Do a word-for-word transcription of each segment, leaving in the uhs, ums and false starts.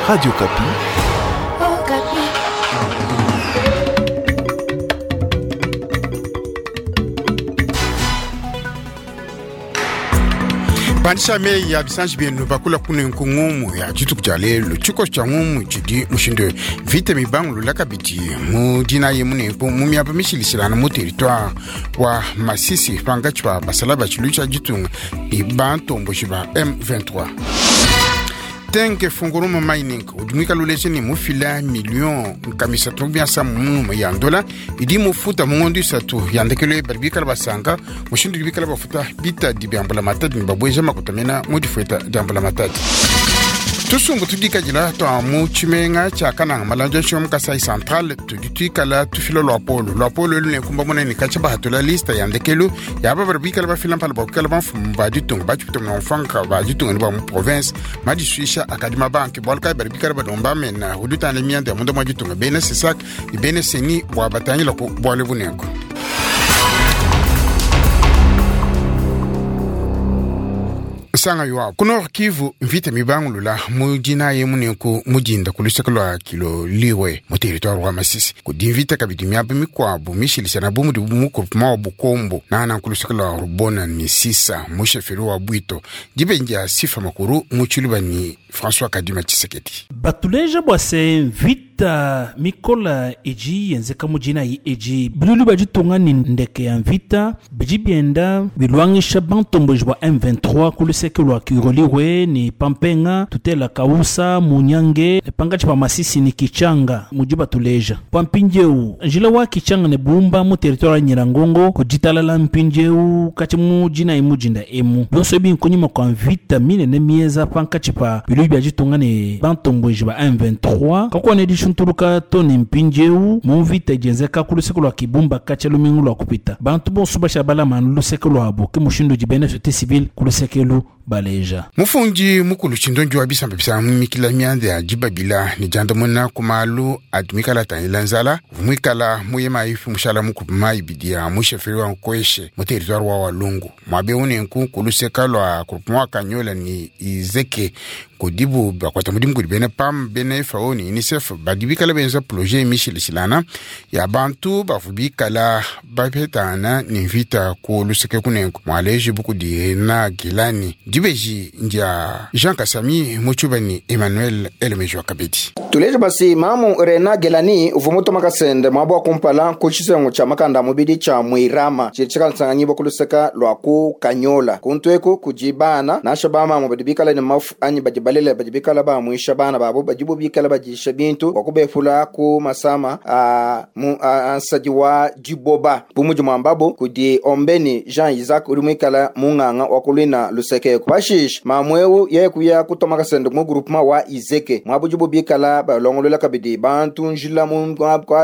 Radio Okapi. Okapi. Pandisha meyi ya bisanji bienu bakula kune nkungumu ya dituku dia lelu tshikoso tshia ngumu tshidi mushindu mvita mibangulula kabidi mu dinayi munenku mu miaba mishilishilana mu territoire wa Masisi pangatshi pa basala ba tshilu tshia ditunga ne bantomboji ba M vingt-trois. Tenke Fungurume Mining udi muikale uleja ne mufila million nkamisatu biasa mu ya ndola idi mufuta mu ngondo isatu ya ndekelo badi bikala basanga mushindu udi bikala bafuta bitadi bia mbulamatadi ne babweja makuta mena mu difueta dia mbulamatadi. Tusumbu tudikadila twa mu tshimenga tshia Kananga malanja nshinga mu Kasai Central tudi tuikala tufila lwa polo lwa polo elu ne kumba munene katshia bahatula lista ya ndekelo ya aba badi bikala bafila mpala bua kuikala bamfumu ba ditunga batshipita mu mfanka ba ditunga ne ba mu province madisuisha akadi mabanki bualu kayi badi bikala balomba mena udi utangila mianda ya munda mua ditunga bena Sesak ne bena Seni bua batangila ku bualu bunenku. Sanga yuwa ku Nord Kivu mvita mibangulula mu dinayi munenku mudinda ku luseke lua Kiloliwe mu territoire wa Masisi kudi mvita kabidi miaba mikuabu mishilisana bu mudi mu groupement wa Bukombo nana ku luseke lua Rubona Misisa mu chefferie wa Bwito dibenji ya Sifa Makuru mu Tshiluba ni François Kadima Tshisekedi. Batuleja bua se mvita mikola iji yenzeka mu dinayi eji bilulu bia ditunga ni ndeke ya mvita bidi bienda bilwangisha bantomboji bua M vingt-trois ku luseke lua Kiloliwe ni Pampenga tutela Kausa Munyange ne pangatshi pa Masisi ni Kichanga mudi batuleja pa mpindieu njila wa Kichanga ne Bumba mu territoire ya Nyiragongo kuditalala mpindieu kati mu dinayi mudinda emu bionso ebi nkunyima kua mvita minene mieza pankatshi pa bilulu bia ditunga ne bantomboji ba M vingt-trois kakuwa ne dishuntuluka to ne mpindieu mu mvita idienzeka ku luseke lua Kibumba katshia lumingu lua kupita bantu bonso basha balama luseke luabu ke mushindu udi bena société civile ku luseke lu baleja. Mufundi mukulu tshindonji wa bisamba bisa mumikila mianda ya dibabila ne diandamuna ku malu adi muikala atangila nzala muikala muyema ifi mushala mukupi mayi bidi ya musheferi wa Nkweshe mu territoire wa Walungu mwabe unenku ku luseka lua groupement wa Kanyola ni Izeke kudibu bakwata mudimu kudi bena PAM bena F A O ni UNICEF badi bikala benza projet mishilishilana ya bantu bavu bikala bapetana ni mvita ku luseke kunenku mwaleji bukudi na Gilani dibeji ndia Jean Kasami muchuba ni Emmanuel Elemejo Kabedi. Tuleja basi mamu Rena Gelani uvumuto makasende mwabo wa kumpala ku tshisengu tshia makanda mubidi tshia Mwirama tshili tshikala kuluseka lwa ku Kanyola kuntweku kujibana nasha ba mamu badi bikala ne mafu anyi badi balele badi bikala ba mwisha bana babo badi bo bikala badisha bintu wa kubefula ku masama a mu a, ansadi wa diboba bumuji mwambabo kudi Ombeni Jean Isaac uri mwikala munganga wa kulina luseke pashish mamwewu ye kuya kutoma kasende mu groupement wa Izeke mwabuji bo bikala balongolola kabidi bantu njila mu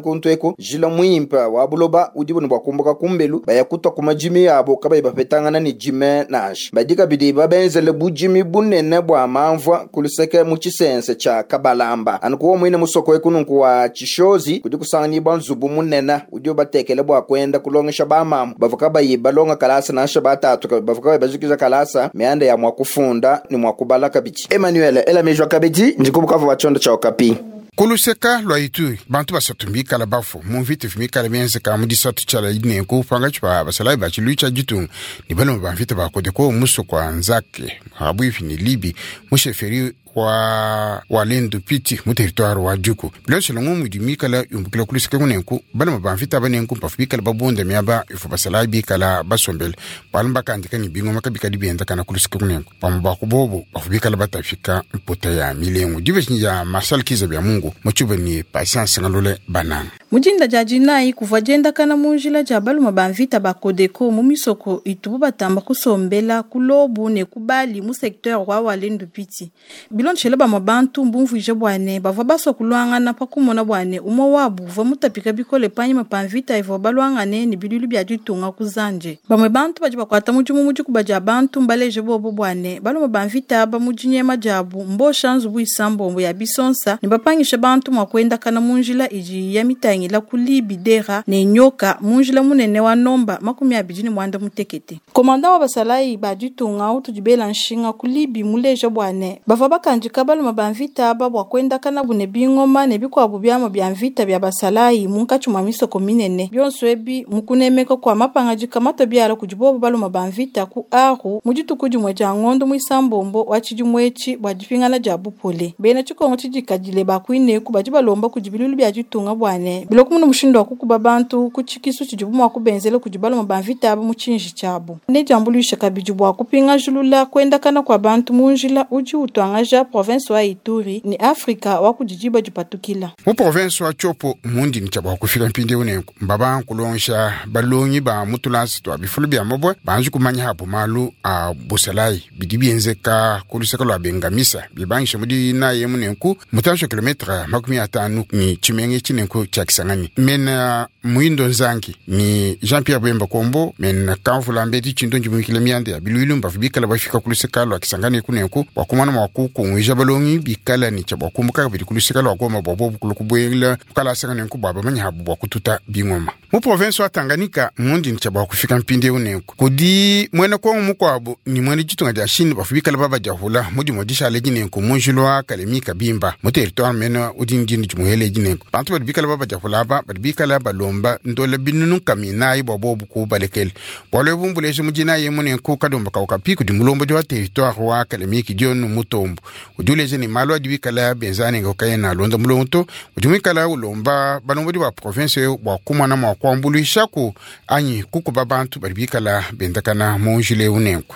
kuntweko njila mwimpa wa buloba udi bunu bwa kumbuka kumbelu baya kutwa kuma jimi yabo kabayi bapetangana ni jime nash badi kabidi babenzele bujimi bunene bwa mamvwa kuluseke mu tshisense tsha Kabalamba anukuwa mwine musoko ekununku wa Tshishozi kudi kusanganyibwa nzubu munene udi batekele bwa kwenda kulongesha bamamu bavuka kabayi balonga kalasa nasha batatu bavuka kabayi bajikiza kalasa mianda ya mwakufunda ni mwakubala kabidi Emmanuel Elamejwa Kabedi ndikubukavu wa tshiondo tsha Okapi. Kuluseka lwa Ituri bantu basatu mbikala bafo mu mvita mikala mienzeka mu disatu tshala inenku panga tshipa basalayi ba tshilu tsha ditunga ne balomba ba mvita ba Kodeko muso kwa Nzake habuifi ni Libi mu chefferie wa Walendu Piti mu territoire wa Djuku bilonso ngumu idi mikala yumbukila kuluseka kunenku balomba ba mvita banenku mpafu bikala babunda miaba ifo basalayi bikala basombele balomba bakandika ni bingoma kabikadi bienda kana kuluseka kunenku pamwe bakubobo bafu bikala batafika mputa ya milengu dibeshi ya Marshal Kiza bya Mungu muchuba ni Patience Ngalule Bananga. Mujinda dia dinayi kuvua diendakana mu njila dia baluma ba mvita ba Kodeko mu misoko itubu batamba kusombela kulobu ne kubali mu secteur wa Walendu Piti. Bilonshele bamwe bantu mbumvuije bwane bavua basua kulwangana pa kumona bwane umwe wabu uvua mutapika bikole panyima pa mvita ivua balwangane ne bilulu bia ditunga ku Zanje. Bamwe bantu badi bakuata mudimu mu dikuba dia bantu mbaleje bobo bwane baluma ba mvita aba mu dinyema diabu mbosha nzubu isambombo ya bisonsa ne bapangisha bantu mua kuendakana mu njila idi ya mitangila ku Libidera ne nyoka mu njila munene wa nomba makumi abidi ne mwanda mutekete. Komanda wa basalayi ba ditunga utudi bela nshinga ku Libi muleje bwane bavua bakandi bakandika baluma ba mvita aba bua kuendakana bune bingoma ne bikuabu byama bya mvita bya basalayi munkatshi mua misoko minene. Bionso ebi mukunemeka kwa mapangadika mato byala kudi bobo baluma ba mvita ku Aru mu dituku dimue dia ngondo muisambombo wa tshidimu etshi bua dipingana dia bupole. Bena tshikongo tshidikadile bakuineku badi balomba kudi bilulu bya ditunga bwane biloko muno mushindu wa kukuba bantu ku tshikisu tshidibu mua kubenzela kudi baluma ba mvita aba mu tshinji tshiabu. Ne diambuluisha kabidi bua kupingajulula kuendakana kwa bantu mu njila udi utuangaja province wa Ituri ni Afrika wa kudidiba dipatukila. Mu province wa Tshopo mundi ni tshia kufika mpindieu nenku mbaba nkulongesha balongi ba mutulasi twa bifulu bya mabwe banji kumanya hapo malu a busalayi bidi bienzeka ku luseke lwa bengamisa bibangisha mudi naye munenku mutansho kilometre makumi atanu ni tshimenge tshinenku tshia Kisangani mena Muindo Nzangi ni Jean Pierre Bemba Kombo mena kamvula mbeti tshindu njimukile mianda ya biluilu mbavu bikala bafika ku luseke lwa Kisangani kunenku bwakumana mwa kukunwija balongi bikala ni tshia bwakumbuka bidi ku luseke lwa Goma bwa bobu kulukubwela mukala asanga nenku bwa bamanya habu bwa kututa bingoma. Mu province wa Tanganyika mundi ni tshia bwa kufika mpindieu nenku kudi mwene kongo mukwabo ni mwene ditunga dia Chine bafu bikala baba diahula mudi modisha jinenku munjilo wa Kalemi Kabimba mu territoire mene udi ndini dimuhele jinenku bantu badi bikala baba diahula aba badi bikala balomba ndola binunu kaminayi bwa bobu kubalekele bwalo bumbuleje mudina ye munenku kadomba kaukapi kudi mulombo wa territoire wa Kalemi kidionu mutombo udi uleje ni malu adi bikala benzane ngokayena londa mulongo udi mwikala ulomba balombo ba province bwa kumwana mwa kuambuluishaku anyi kukuba bantu badi bikala bendakana munjile unenku.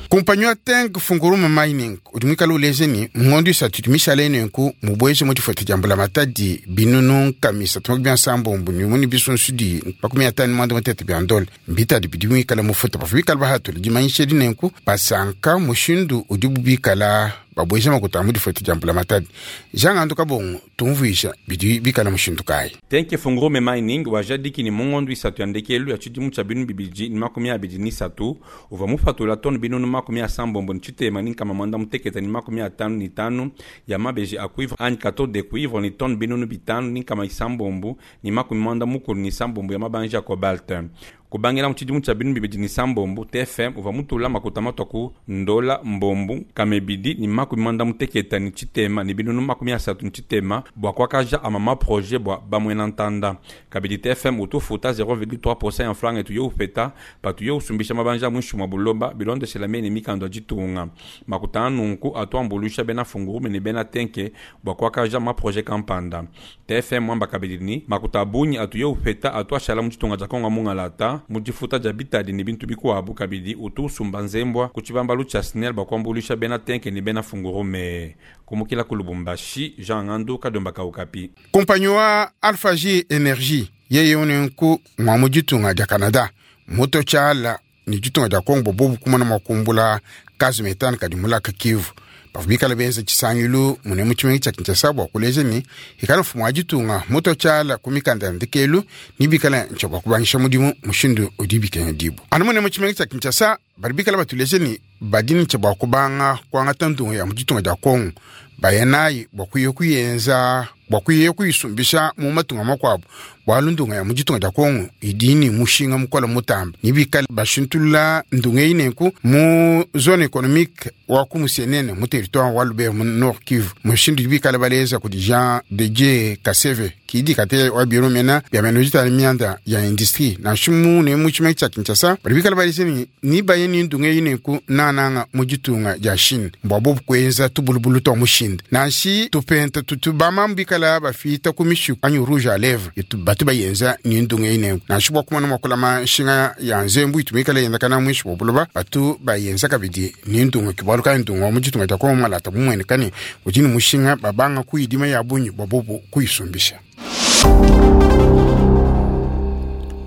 Kompanyi ya Tenke Fungurume Mining udi mwikala uleje ni ngondo isatu mishale nenku mubweje mu difuta dia mbula matadi binunu nkamisa tumaki bia nsambombo ni muni bisunsu di makumi atanu mwanda mutete bia ndola mbitadi bidi mwikala mufuta bafu bikala bahatula dimanyisha di nenku basanka mushindu udi bubikala babweje makuta mu difuta dia mbula matadi. Jean Andu Kabongo tumvuisha bidi bikala mushindu kayi. Tenke Fungurume Mining wajadiki ni mungondo isatu ya ndekelu ya tshidimu tshia binu bibidi ni makumi abidi ni satu uva mufatula tonu binunu makumi asambombo ni tshitema ni nkama mwanda muteketa ni makumi atanu ni tanu ya mabeji a cuivre anyi cathode de cuivre ni tonu binunu bitanu ni nkama isambombo ni makumi mwanda mukulu ni sambombo ya mabanji ya cobalt. Kubangela mu tshidimu tshia binu bibidi ni sambombo T F M uva mutula makuta matwa ku ndola mbombu kamebidi ni makumi mwanda muteketa ni tshitema ni binunu makumi asatu ni tshitema bua kuakaja amama projet bua bamwena ntanda. Kabidi T F M utufuta zéro virgule trois pour cent ya franga etu yo upeta patu yo usumbisha mabanja mwishu mwa buloba bilondeshela mene mikando ya ditunga. Makuta anunku atuambulusha bena fungurume ni bena tenke bua kuakaja ma projet kampanda. T F M mwamba kabidi ni makuta abunyi atu yo upeta atuashala mu ditunga dia Kongo mungalata mudifuta dia bitadi ni bintu bikuabu kabidi utu usumba nzembwa ku tshibambalu tshia SNEL bakuambulisha bena tenke ni bena fungurume. Kumukila ku Lubumbashi, Jean Ngandu Kadomba Kaukapi. Kompanyi wa Alpha J Energy yeye unenku mwa mu ditunga dia Canada moto tshala ni ditunga dia Kongo bobu kumana makumbula kazi metano kadi mulaka Kivu bafu bikala benza tshisangilu mune mu tshimenga tshia Kinshasa bua kuleja ni ikala mfumu wa ditunga moto tshala ku mikanda ya ndekelu ni bikala ntshia bua kubangisha mudimu mushindu udi bikenga dibu. Anu mune mu tshimenga tshia Kinshasa badi bikala batuleje ni badi ntshia bua kubanga kuangata ndungu ya mu ditunga dia Kongo bayanayi bua kuya kuyenza bua kuya kuyisumbisha mu matunga makuabu bwalu ndunga ya mu ditunga dia Kongo idi ni mushinga mukola mutamba ni bikala bashintulula ndunga eyi nenku mu zone économique wa ku Musienene mu territoire wa Lubero mu Nord Kivu mushindu bikala baleza kudi Jean de Dieu Kaseve kidi kate wa biro mena bya meno jitali mianda ya industrie na shimu ne mu tshimenga tshia Kinshasa bali bikala baleza ni ni baye ni ndunga eyi nenku nananga mu ditunga dia Chine mbwa bobu kuenza tubulubulu twa mushinde nanshi tupenta tutubama mbikala bafita ku mishiku anyu rouge à lèvres itu batu bayenza ni ndunga eyi nenku nanshi bwa kumana mwakulama nshinga ya nzembu itumikala yenza kana mwishi bwa batu bayenza kabidi ni ndunga kibwalu ka ndunga mu ditunga dia Kongo malata mumwene kani udi ni mushinga babanga kuyidima ya bunyi bwa bobu kuyisumbisha.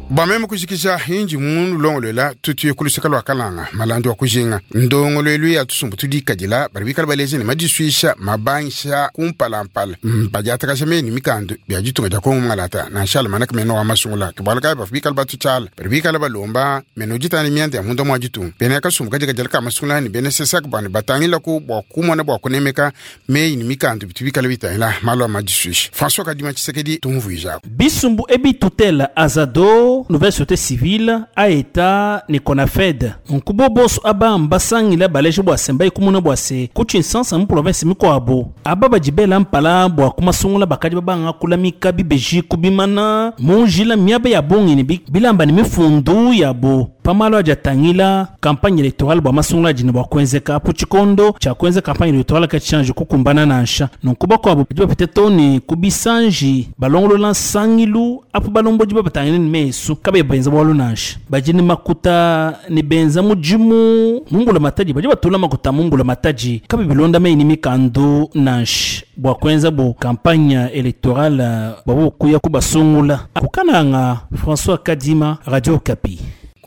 Bameme kujikisha hinji munu longolwela tutuye kuluseka lwa kalanga malandi wa kujinga ndongolwelu ya tusumbu tudikadila bari bikala baleze ni madiswisha mabangisha kumpalampala badiatakasha meni mikandu bya ditunga dia Kongo ngalata na nshala manaka meno wa masungula kibwala kai bafu bikala batutshala bari bikala balomba meno ditana mianda ya munda mwa ditunga bene kasumbu kadikadila ka masungula ni bene sesaka bani batangila ku bwa kumona bwa kunemeka meyi ni mikandu bitu bikala bitangila malu a madiswisha François Kadima Tshisekedi tumvuija Bisumbu ebi tutela azado Codeco, Nouvelle Société Civile, AETA ne Conafed. Nkubo boso aba mbasangila baleje bwa se mbayikumuna bwa se ku Tshinsansa mu province mikuabo. Aba badi bela mpala bua kumasungula bakadi babanga kulamika bibeji kubimana mu njila miaba ya bungi ne bilamba ne mifundu yabo pamalo adi atangila campagne électorale bua masungula adi ne bua kuenzeka apu tshikondo tshia kuenza campagne électorale katshichange kukumbana nansha. Nunku bakuabo badi bapete toni ku bisanji balongolola nsangilu apu balombodi babatangile ne mesu kabayi benza bualu nansha. Badi ne makuta ne benza mudimu mu mbula matadi, badi batula makuta mu mbula matadi kabayi bilonda meyi ne mikandu nansha bua kuenza bo campagne électorale bua kuya kubasungula. Kukananga, François Kadima, Radio Okapi.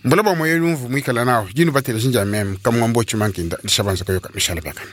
Mbula bwa moyo lumvu mwikala nawo jinu batela shinja meme kamwambo chimankinda dishabanza kayoka mishala byakana.